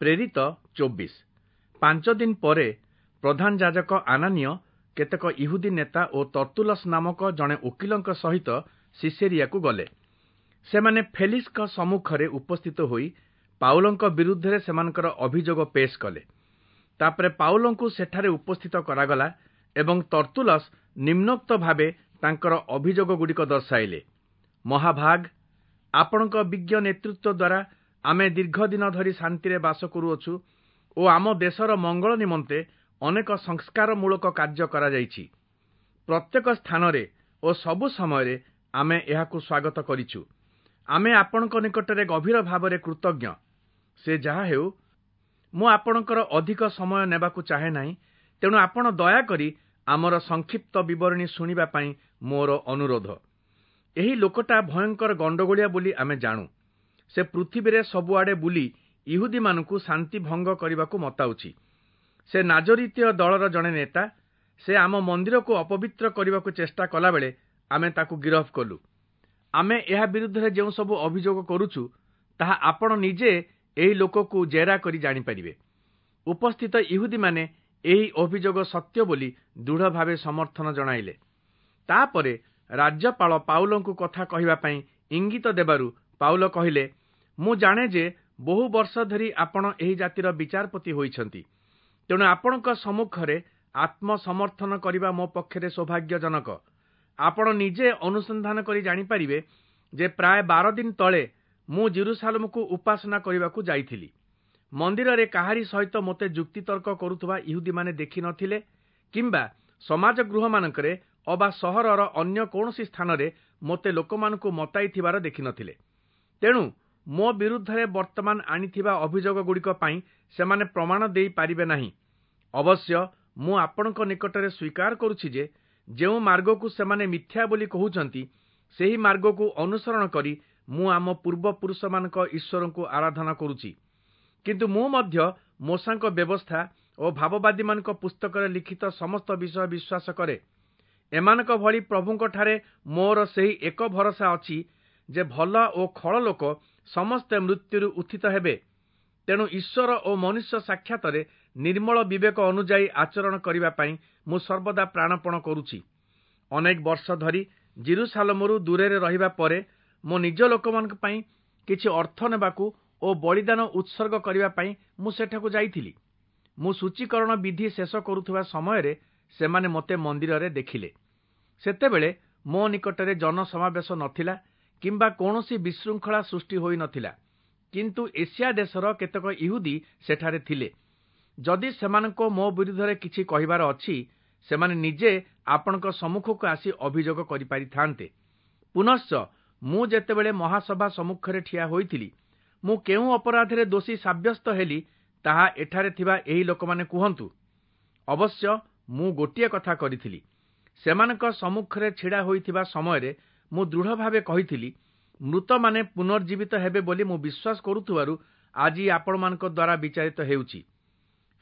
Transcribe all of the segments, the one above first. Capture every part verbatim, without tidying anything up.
ପ୍ରେରିତ ଚବିଶ। ପାଞ୍ଚ ଦିନ ପରେ ପ୍ରଧାନ ଯାଜକ ଆନାନୀୟ କେତେକ ଇହୁଦୀ ନେତା ଓ ତର୍ତ୍ତୁଲସ୍ ନାମକ ଜଣେ ଓକିଲଙ୍କ ସହିତ ସିସେରିଆକୁ ଗଲେ। ସେମାନେ ଫେଲିକ୍ସଙ୍କ ସମ୍ମୁଖରେ ଉପସ୍ଥିତ ହୋଇ ପାଉଲଙ୍କ ବିରୁଦ୍ଧରେ ସେମାନଙ୍କର ଅଭିଯୋଗ ପେଶ କଲେ। ତାପରେ ପାଉଲଙ୍କୁ ସେଠାରେ ଉପସ୍ଥିତ କରାଗଲା ଏବଂ ତର୍ତ୍ତୁଲସ୍ ନିମ୍ନୋକ୍ତ ଭାବେ ତାଙ୍କର ଅଭିଯୋଗଗୁଡ଼ିକ ଦର୍ଶାଇଲେ। ମହାଭାଗ, ଆପଣଙ୍କ ବିଜ୍ଞ ନେତୃତ୍ୱ ଦ୍ୱାରା ଆମେ ଦୀର୍ଘ ଦିନ ଧରି ଶାନ୍ତିରେ ବାସ କରୁଅଛୁ ଓ ଆମ ଦେଶର ମଙ୍ଗଳ ନିମନ୍ତେ ଅନେକ ସଂସ୍କାରମୂଳକ କାର୍ଯ୍ୟ କରାଯାଇଛି। ପ୍ରତ୍ୟେକ ସ୍ଥାନରେ ଓ ସବୁ ସମୟରେ ଆମେ ଏହାକୁ ସ୍ୱାଗତ କରିଛୁ। ଆମେ ଆପଣଙ୍କ ନିକଟରେ ଗଭୀର ଭାବରେ କୃତଜ୍ଞ। ସେ ଯାହା ହେଉ, ମୁଁ ଆପଣଙ୍କର ଅଧିକ ସମୟ ନେବାକୁ ଚାହେଁ ନାହିଁ, ତେଣୁ ଆପଣ ଦୟାକରି ଆମର ସଂକ୍ଷିପ୍ତ ବିବରଣୀ ଶୁଣିବା ପାଇଁ ମୋର ଅନୁରୋଧ। ଏହି ଲୋକଟା ଭୟଙ୍କର ଗଣ୍ଡଗୋଳିଆ ବୋଲି ଆମେ ଜାଣୁ। ସେ ପୃଥିବୀରେ ସବୁଆଡ଼େ ବୁଲି ଇହୁଦୀମାନଙ୍କୁ ଶାନ୍ତି ଭଙ୍ଗ କରିବାକୁ ମତାଉଛି। ସେ ନାଜରିତୀୟ ଦଳର ଜଣେ ନେତା। ସେ ଆମ ମନ୍ଦିରକୁ ଅପବିତ୍ର କରିବାକୁ ଚେଷ୍ଟା କଲାବେଳେ ଆମେ ତାକୁ ଗିରଫ କଲୁ। ଆମେ ଏହା ବିରୁଦ୍ଧରେ ଯେଉଁ ସବୁ ଅଭିଯୋଗ କରୁଛୁ, ତାହା ଆପଣ ନିଜେ ଏହି ଲୋକକୁ ଜେରା କରି ଜାଣିପାରିବେ। ଉପସ୍ଥିତ ଇହୁଦୀମାନେ ଏହି ଅଭିଯୋଗ ସତ୍ୟ ବୋଲି ଦୃଢ଼ ଭାବେ ସମର୍ଥନ ଜଣାଇଲେ। ତାପରେ ରାଜ୍ୟପାଳ ପାଉଲଙ୍କୁ କଥା କହିବା ପାଇଁ ଇଙ୍ଗିତ ଦେବାରୁ ପାଉଲ କହିଲେ, ମୁଁ ଜାଣେ ଯେ ବହୁ ବର୍ଷ ଧରି ଆପଣ ଏହି ଜାତିର ବିଚାରପତି ହୋଇଛନ୍ତି। ତେଣୁ ଆପଣଙ୍କ ସମ୍ମୁଖରେ ଆତ୍ମସମର୍ଥନ କରିବା ମୋ ପକ୍ଷରେ ସୌଭାଗ୍ୟଜନକ। ଆପଣ ନିଜେ ଅନୁସନ୍ଧାନ କରି ଜାଣିପାରିବେ ଯେ ପ୍ରାୟ ବାର ଦିନ ତଳେ ମୁଁ ଜିରୁସାଲମକୁ ଉପାସନା କରିବାକୁ ଯାଇଥିଲି। ମନ୍ଦିରରେ କାହାରି ସହିତ ମୋତେ ଯୁକ୍ତିତର୍କ କରୁଥିବା ଇହୁଦୀମାନେ ଦେଖି ନଥିଲେ କିମ୍ବା ସମାଜ ଗୃହମାନଙ୍କରେ ଅବା ସହରର ଅନ୍ୟ କୌଣସି ସ୍ଥାନରେ ମୋତେ ଲୋକମାନଙ୍କୁ ମତାଇଥିବାର ଦେଖିନଥିଲେ। ତେଣୁ ମୋ ବିରୁଦ୍ଧରେ ବର୍ତ୍ତମାନ ଆଣିଥିବା ଅଭିଯୋଗଗୁଡ଼ିକ ପାଇଁ ସେମାନେ ପ୍ରମାଣ ଦେଇପାରିବେ ନାହିଁ। ଅବଶ୍ୟ ମୁଁ ଆପଣଙ୍କ ନିକଟରେ ସ୍ୱୀକାର କରୁଛି ଯେ ଯେଉଁ ମାର୍ଗକୁ ସେମାନେ ମିଥ୍ୟା ବୋଲି କହୁଛନ୍ତି, ସେହି ମାର୍ଗକୁ ଅନୁସରଣ କରି ମୁଁ ଆମ ପୂର୍ବପୁରୁଷମାନଙ୍କ ଈଶ୍ୱରଙ୍କୁ ଆରାଧନା କରୁଛି। କିନ୍ତୁ ମୁଁ ମଧ୍ୟ ମୋଶାଙ୍କ ବ୍ୟବସ୍ଥା ଓ ଭାବବାଦୀମାନଙ୍କ ପୁସ୍ତକରେ ଲିଖିତ ସମସ୍ତ ବିଷୟ ବିଶ୍ୱାସ କରେ। ଏମାନଙ୍କ ଭଳି ପ୍ରଭୁଙ୍କଠାରେ ମୋର ସେହି ଏକ ଭରସା ଅଛି ଯେ ଭଲ ଓ ଖଳ ଲୋକ ସମସ୍ତେ ମୃତ୍ୟୁରୁ ଉତ୍ଥିତ ହେବେ। ତେଣୁ ଈଶ୍ୱର ଓ ମନୁଷ୍ୟ ସାକ୍ଷାତରେ ନିର୍ମଳ ବିବେକ ଅନୁଯାୟୀ ଆଚରଣ କରିବା ପାଇଁ ମୁଁ ସର୍ବଦା ପ୍ରାଣପଣ କରୁଛି। ଅନେକ ବର୍ଷ ଧରି ଜିରୁସାଲମରୁ ଦୂରରେ ରହିବା ପରେ ମୋ ନିଜ ଲୋକମାନଙ୍କ ପାଇଁ କିଛି ଅର୍ଥ ନେବାକୁ ଓ ବଳିଦାନ ଉତ୍ସର୍ଗ କରିବା ପାଇଁ ମୁଁ ସେଠାକୁ ଯାଇଥିଲି। ମୁଁ ସୂଚୀକରଣ ବିଧି ଶେଷ କରୁଥିବା ସମୟରେ ସେମାନେ ମୋତେ ମନ୍ଦିରରେ ଦେଖିଲେ। ସେତେବେଳେ ମୋ ନିକଟରେ ଜନସମାବେଶ ନଥିଲା କିମ୍ବା କୌଣସି ବିଶୃଙ୍ଖଳା ସୃଷ୍ଟି ହୋଇନଥିଲା। କିନ୍ତୁ ଏସିଆ ଦେଶର କେତେକ ଇହୁଦୀ ସେଠାରେ ଥିଲେ। ଯଦି ସେମାନଙ୍କ ମୋ ବିରୁଦ୍ଧରେ କିଛି କହିବାର ଅଛି, ସେମାନେ ନିଜେ ଆପଣଙ୍କ ସମ୍ମୁଖକୁ ଆସି ଅଭିଯୋଗ କରିପାରିଥାନ୍ତେ। ପୁନଶ୍ଚ ମୁଁ ଯେତେବେଳେ ମହାସଭା ସମ୍ମୁଖରେ ଠିଆ ହୋଇଥିଲି, ମୁଁ କେଉଁ ଅପରାଧରେ ଦୋଷୀ ସାବ୍ୟସ୍ତ ହେଲି ତାହା ଏଠାରେ ଥିବା ଏହି ଲୋକମାନେ କୁହନ୍ତୁ। ଅବଶ୍ୟ ମୁଁ ଗୋଟିଏ କଥା କରିଥିଲି। ସେମାନଙ୍କ ସମ୍ମୁଖରେ ଛିଡ଼ା ହୋଇଥିବା ସମୟରେ ମୁଁ ଦୃଢ଼ ଭାବେ କହିଥିଲି, ମୃତମାନେ ପୁନର୍ଜୀବିତ ହେବେ ବୋଲି ମୁଁ ବିଶ୍ୱାସ କରୁଥିବାରୁ ଆଜି ଆପଣମାନଙ୍କ ଦ୍ୱାରା ବିଚାରିତ ହେଉଛି।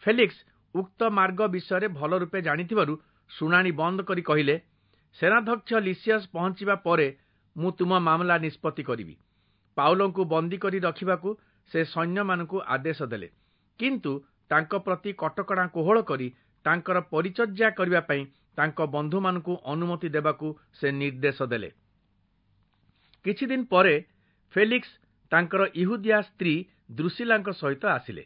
ଫେଲିକ୍ସ ଉକ୍ତ ମାର୍ଗ ବିଷୟରେ ଭଲ ରୂପେ ଜାଣିଥିବାରୁ ଶୁଣାଣି ବନ୍ଦ କରି କହିଲେ, ସେନାଧ୍ୟକ୍ଷ ଲିସିୟସ୍ ପହଞ୍ଚିବା ପରେ ମୁଁ ତୁମ ମାମଲା ନିଷ୍ପତ୍ତି କରିବି। ପାଉଲଙ୍କୁ ବନ୍ଦୀ କରି ରଖିବାକୁ ସେ ସୈନ୍ୟମାନଙ୍କୁ ଆଦେଶ ଦେଲେ, କିନ୍ତୁ ତାଙ୍କ ପ୍ରତି କଟକଣା କୋହଳ କରି ତାଙ୍କର ପରିଚର୍ଯା କରିବା ପାଇଁ ତାଙ୍କ ବନ୍ଧୁମାନଙ୍କୁ ଅନୁମତି ଦେବାକୁ ସେ ନିର୍ଦ୍ଦେଶ ଦେଲେ। କିଛି ଦିନ ପରେ ଫେଲିକ୍ସ ତାଙ୍କର ଇହୁଦିଆ ସ୍ତ୍ରୀ ଦ୍ରୁସିଲାଙ୍କ ସହିତ ଆସିଲେ।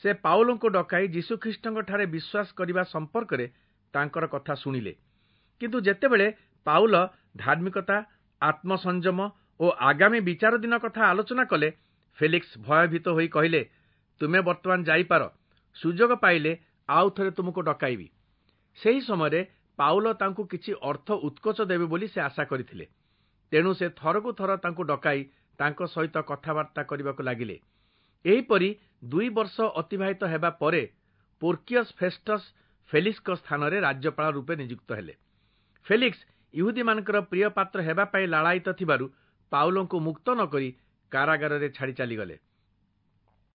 ସେ ପାଉଲଙ୍କୁ ଡକାଇ ଯୀଶୁଖ୍ରୀଷ୍ଟଙ୍କଠାରେ ବିଶ୍ୱାସ କରିବା ସମ୍ପର୍କରେ ତାଙ୍କର କଥା ଶୁଣିଲେ। କିନ୍ତୁ ଯେତେବେଳେ ପାଉଲ ଧାର୍ମିକତା, ଆତ୍ମସଂଯମ ଓ ଆଗାମୀ ବିଚାର ଦିନ କଥା ଆଲୋଚନା କଲେ, ଫେଲିକ୍ସ ଭୟଭୀତ ହୋଇ କହିଲେ, ତୁମେ ବର୍ତ୍ତମାନ ଯାଇପାର, ସୁଯୋଗ ପାଇଲେ ଆଉ ଥରେ ତୁମକୁ ଡକାଇବି। ସେହି ସମୟରେ ପାଉଲ ତାଙ୍କୁ କିଛି ଅର୍ଥ ଉତ୍କୋଚ ଦେବେ ବୋଲି ସେ ଆଶା କରିଥିଲେ। ତେଣୁ ସେ ଥରକୁ ଥର ତାଙ୍କୁ ଡକାଇ ତାଙ୍କ ସହିତ କଥାବାର୍ତ୍ତା କରିବାକୁ ଲାଗିଲେ। ଏହିପରି ଦୁଇ ବର୍ଷ ଅତିବାହିତ ହେବା ପରେ ପୋର୍କିୟସ୍ ଫେଷ୍ଟସ୍ ଫେଲିକ୍ସଙ୍କ ସ୍ଥାନରେ ରାଜ୍ୟପାଳ ରୂପେ ନିଯୁକ୍ତ ହେଲେ। ଫେଲିକ୍ସ ଇହୁଦୀମାନଙ୍କର ପ୍ରିୟ ପାତ୍ର ହେବା ପାଇଁ ଲାଳାୟିତ ଥିବାରୁ ପାଉଲଙ୍କୁ ମୁକ୍ତ ନ କରି କାରାଗାରରେ ଛାଡ଼ି ଚାଲିଗଲେ।